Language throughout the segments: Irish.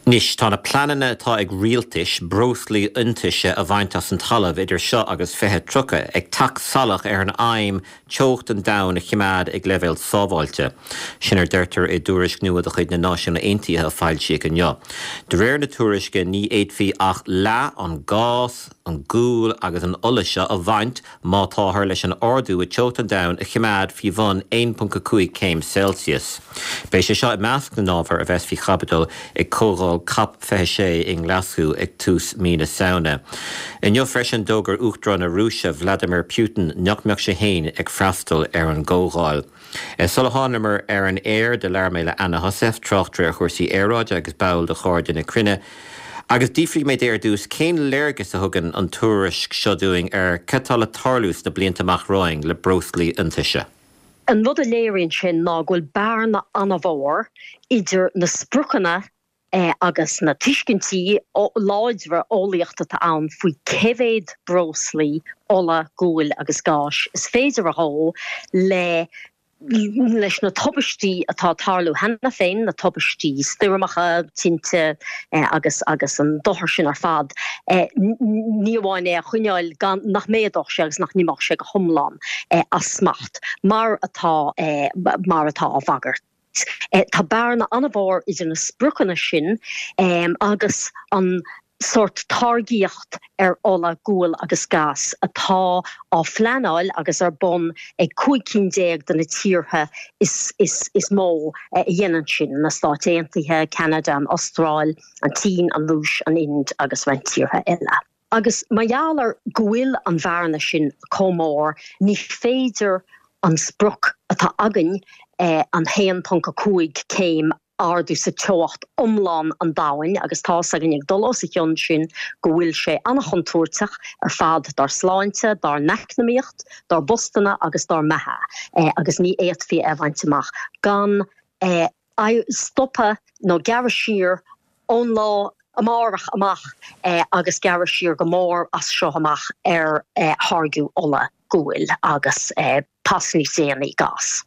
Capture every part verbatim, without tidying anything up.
Anois tá na pleananna atá ag rialtais breoslaí iontaise a bhaint as an talamh idir seo agus fiche tríocha ag teacht salach ar an aidhm teocht an domhain a choimeád ag leibhéal sábháilte. Sin a deirtear i dtuairisc nua de chuid na Náisiún Aontaithe a foilsíodh inniu. De réir na tuairisce ní fhéadfaí ach leath an gás, an gual agus an ola seo a bhaint má táthar leis an ardú i teocht an domhain a choimeád faoi bhun aon ponc a cúig céim Celsius. Beidh sé seo i measc na n-ábhar a bheas faoi chaibidil ag comhdháil COP fiche sé i nGlaschú ag tús mí na Samhna. Inniu freisin d'fhógair Uachtarán na Rúise Vladimir Putin nach mbeadh sé féin ag freastal ar an gcomhdháil. Sula thángamar ar an aer do labhair mé le Anna Heussaff, tráchtaire ar chúrsaí aeráide agus ball de Chairde na Cruinne. Agus d'fhiafraigh mé di ar dtús cén léargas a thugann an tuairisc seo dúinn ar cad atá le tarlú sna blianta amach romhainn le breoslaí iontaise. An rud a léiríonn sin ná go bhfuil bearna an-mhór idir na spriocanna eh, agus na tuiscintí láidre eolaíochta atá ann faoi cé mhéad breoslaí ola, guail agus gáis is féidir a dhó le leis na tubaistí atá tarlú cheana féin, na tubaistí stoirmeacha, tinte eh, agus agus an dochar sin ar fad eh, ní amháin é a choinneáil gan nach méadódh sé agus nach n-imeodh sé go hiomlán eh, as smacht mar atá eh, mar atá á bhagairt. Eh, tá bearna an-mhór idir na spriocanna sin eh, agus an sórt táirgíocht ar ola, gual agus gás atá á phleanáil agus ar bun ag cúig cinn déag de na tíortha is, is, is mó eh, a dhéanann sin na Stáit Aontaithe, Canada, an Astráil, an tSín, an Rúis, an Ind agus roinnt tíortha eile. Agus mar gheall ar go bhfuil an bhearna sin chomh mór, ní féidir an sprioc atá againn eh, an haon ponc a cúig céim ardú sa teocht iomlán an domhain agus tá againn ag dul os a chionn sin go bhfuil sé an-chontúirteach ar fad dár sláinte, dár n-eacnamaíocht, dár bpostanna agus dár mbeatha eh, agus ní fhéadfaí é a bhaint amach gan eh, stopadh nó gearradh siar ón lá amárach amach eh, agus gearradh siar go mór as seo amach ar eh, tháirgeadh ola guail agus eh, pas níos déanaí gás.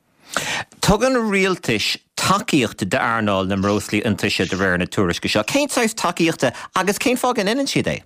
Tugann rialtais tacaíocht d'earnáil na mbreoslaí iontaise de réir na tuairisce seo. Cén saghas tacaíochta agus cén fáth a ndéanann siad é?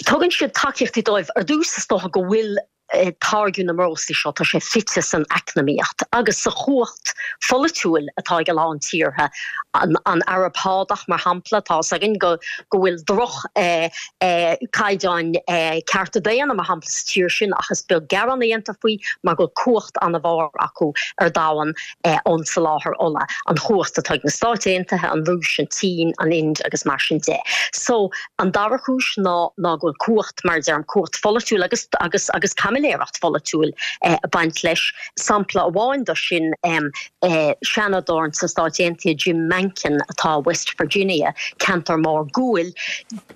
Tugann siad tacaíochtaí dóibh ar dtús is dócha go bhfuil eh, táirgeadh na mbreoslaí seo tá sé fite san eacnamaíocht agus sa chumhacht pholaitiúil atá ag a lán tíortha an, an Araib Shádach mar shampla tá againn go go bhfuil droch eh, eh, caighdeáin eh, cearta daonna mar shampla sa tír sin ach is beag gearán a dhéantar faoi mar go cumhacht an-mhór acu ar domhan eh, ón soláthar ola an chumhacht atá ag na Stáit Aontaithe an Rúis an tSín an Ind agus mar sin de. So an dara cúis ná ná go bhfuil cumhacht mar deirim cumhacht pholaitiúil agus agus agus caimiléireacht pholaitiúil eh, baint leis sampla amháin de sin um, eh, Seanadóir sna Stáit Aontaithe Jim Manchin atá West Virginia ceantar mór guail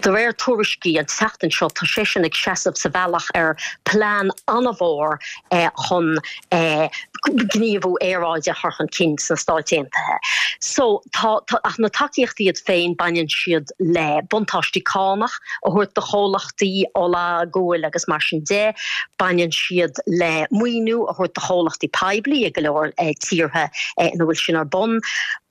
de réir tuairiscí an tseachtain seo tá sé sin ag seasamh sa bhealach ar plean an-mhór eh, chun eh, gníomhú aeráide a chur chun cinn sna Stáit Aontaithe. So tá, tá ach na tacaíochtaí iad féin baineann siad le buntáistí cánach a thabhairt do chomhlachtaí ola guail agus mar sin de, baineann siad le maoiniú a thabhairt do chomhlachtaí poiblí ag go leor eh, tíortha eh, ina bhfuil sin ar bun.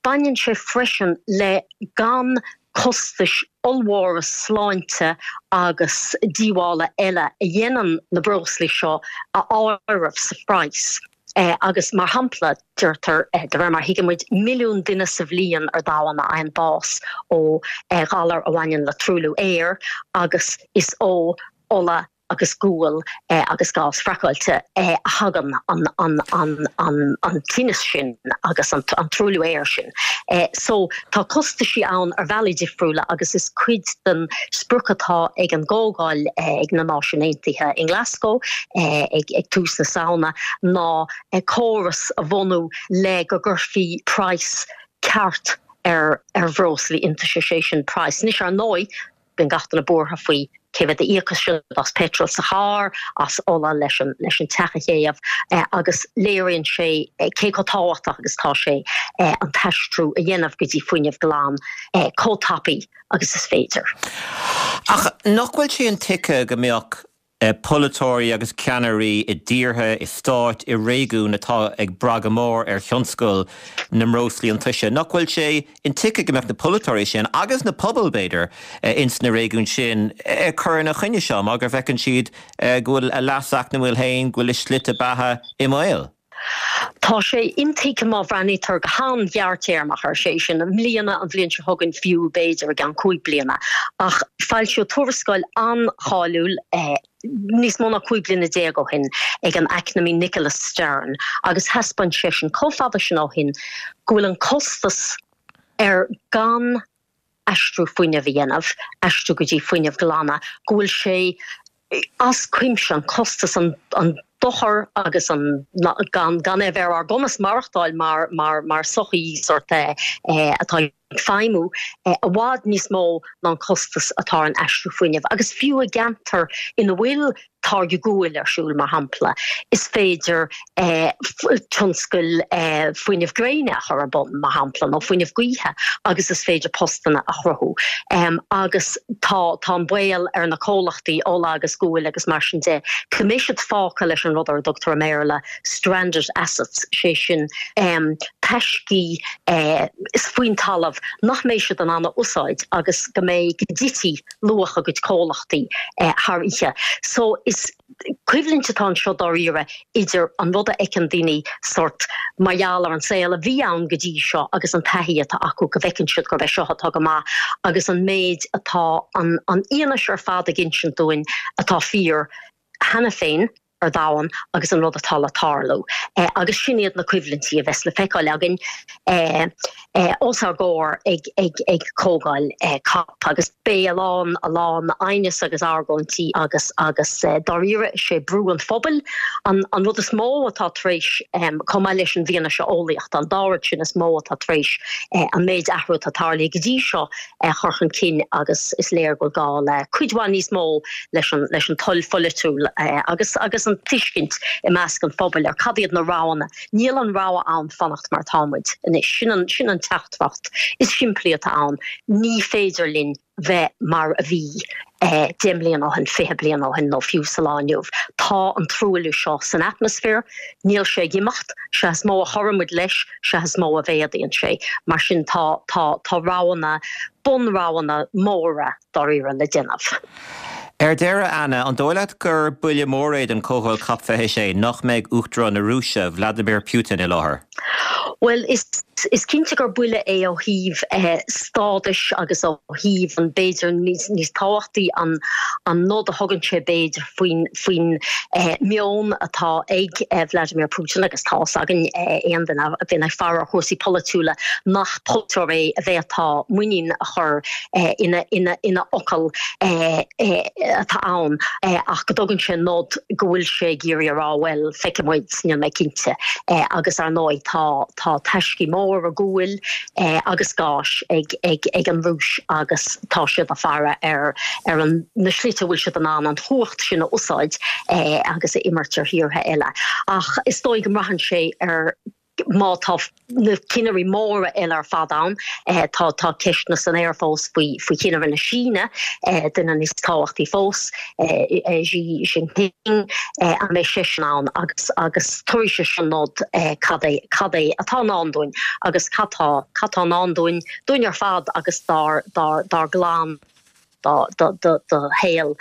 Baineann sé freisin le gan costais ollmhóra sláinte agus díobhála eile a dhéanann na breoslaí seo a áireamh sa phraghas. Eh, agus mar shampla deirtear eh, de réir mar thuigimid milliún duine sa bhliain ar domhan a fhaigheann bás ó eh, ghalar a bhaineann le truailliú aeir agus is ó ola agus gual eh, agus gás fracáilte eh, a thagann an, an, an, an, an tinneas sin agus an, an truailliú aeir sin. Eh, so tá costaisí ann ar bhealaí difriúla agus is cuid den sprioc atá ag an gcomhdháil eh, ag na Náisiúin Aontaithe in Glasgow eh, ag, ag tús na Samhna ná eh, córas a bhunú le go gcuirfí praghas ceart ar ar bhreoslaí iontaise sé sin praghas. Anois ar ndóigh bíonn gach duine buartha faoi cé mhéad a íocfaidh siad as petrol sa charr as ola leis an leis an teach a théamh eh, agus léiríonn sé eh, cé chomh tábhachtach agus tá sé eh, an t-aistriú a dhéanamh go dtí fuinneamh glan eh, chomh tapaidh agus is féidir. Ach nach bhfuil sé intuigthe go mbeadh polaiteoirí agus ceannairí i dtíortha, i stáit, i réigiúin atá ag brath go mór ar thionscal na mbreoslaí iontaise. Nach bhfuil sé intuigthe go mbeadh na polaiteoirí sin agus na pobail b'fhéidir ins na réigiúin sin ag cur ina choinne seo mar go bhfeiceann siad go bhfuil a leas eacnamúil féin, go bhfuil a slite beatha i mbaol? Tá sé intuigthe má bhreathnaítear go han-ghearrtéarmach air, sé sin, i mbliana, an bhliain seo chugainn, fiú b'fhéidir i gceann cúig bliana. Ach foilsíodh tuarascáil an-cháiliúil níos mó ná cúig bliana déag ó shin ag an eacnamaí Nicholas Stern agus thaispeáin seisean chomh fada sin ó shin go bhfuil an costas ar gan aistriú fuinnimh a dhéanamh, aistriú go dtí fuinneamh glana, go bhfuil sé as cuimse, an costas, an dochar agus an gan gan é bheith ar ár gcumas maireachtáil mar mar mar sochaí sort atá ag feidhmiú i bhfad níos mó ná an costas atá ar an aistriú fuinnimh. Agus fiú i gceantar ina bhfuil táirgeadh guail ar siúl, mar shampla, is féidir tionscal fuinneamh gréine a chur ar bun, mar shampla, nó fuinneamh gaoithe agus is féidir postanna a chruthú. Agus tá tá an baol ar na comhlachtaí ola agus guail agus mar sin de go mbeidh siad fágtha leis an rud ar a dtugtar i mBéarla stranded assets, sé sin taiscí faoin talamh nach mbeidh siad in ann a úsáid agus go mbeidh go dtitfidh luach a gcuid comhlachtaí thar oíche. So is coimhlint atá anseo dáiríre idir an rud a fheiceann daoine sort mar gheall ar an saol a bhí ann go dtí seo agus an taithí atá acu go bhfeiceann siad gurb é seo atá go maith agus an méid atá an an fhianaise ar fad ag insint dúinn atá fíor cheana féin ar domhan agus an rud atá le tarlú. Agus sin iad na coimhlintí a bheas le feiceáil againn os ár gcomhair ag comhdháil COP. Agus beidh a lán, a lán aighneas agus argóintí agus, agus dáiríre, is é brú an phobail an rud is mó atá tar éis, chomh maith leis an bhfianaise eolaíochta, an dá rud sin is mó atá tar éis an méid athrú atá tarlaithe go dtí seo a chur chun cinn agus is léir go bhfuil gá le cuid mhaith níos mó leis an leis an toil pholaitiúil agus agus an tuiscint i measc an phobail ar cad iad na roghanna. Níl an rogha ann fanacht mar atá muid anois. Sin an sin an teachtaireacht is simplí atá ann. Ní féidir linn bheith mar a bhí deich mbliana ó shin, fiche bliain ó shin nó fiú sa lá inniu. Tá an truailliú seo san atmaisféar, níl sé ag imeacht, sea is mó a chuireann muid leis, sea is mó a mhéadaíonn sé. Mar sin tá tá tá roghanna, bunroghanna móra dáiríre le déanamh. Ar deireadh, Anna, an dóigh leat gur buille mór é don Chomhdháil Cop fiche a sé nach mbeidh Uachtarán na Rúise, Vladimir Putin, i láthair? Bhuel, is is cinnte gur buille é ó thaobh stádais agus ó thaobh an b'fhéidir níos níos tábhachtaí an an nod a thugann sé b'fhéidir faoin faoin meon atá ag Vladimir Putin agus tá fhios againn aon duine a bhíonn ag faire ar chúrsaí polaitiúla nach polaiteoir é a bhféadfá muinín a chur ina ina ina fhocal atá ann ach go dtugann sé nod go bhfuil sé ag iarraidh a rá bhuel feicfidh muid níl mé cinnte agus ar ndóigh tá tá taiscí móra guail agus gáis ag ag ag an Rúis agus tá siad ag faire ar ar an na slite a bhfuil siad in ann an chumhacht sin a úsáid agus a imirt ar thíortha eile. Ach is dóigh go mbraitheann sé ar má tá na cinnirí móra eile ar fad ann, tá tá ceisteanna san aer fós faoi faoi chinnire na Síne, duine níos tábhachtaí fós, Xi Jinping, an mbeidh seisean ann agus agus tabharfaidh sé sin nod cad é cad é atá i ndán dúinn agus cad tá cad tá i ndán dúinn dúinn ar fad agus dár dár dár gclann. do shaol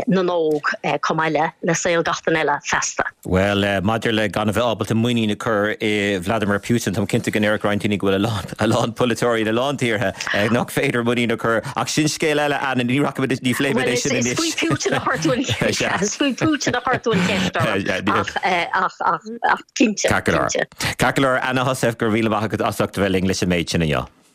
na n-óg chomh maith le le saol gach duine eile feasta. Bhuel, maidir le gan a bheith ábalta muinín a chur i Vladimir Putin, táim cinnte go ndéarfadh roinnt daoine go bhfuil a lán polaiteoirí in a lán tíortha nach féidir muinín a chur, ach sin scéal eile, Anna, ní rachaimid, ní phléimid é sin anois. Bhuel, is faoi Putin a chuir tú an cheist, is faoi Putin a chuir tú an cheist orm, ach, ach, ach, ach cinnte, cinnte. Ceart go leor, Anna Heussaff, go raibh míle maith agat as ucht a bheith linn leis an méid sin inniu.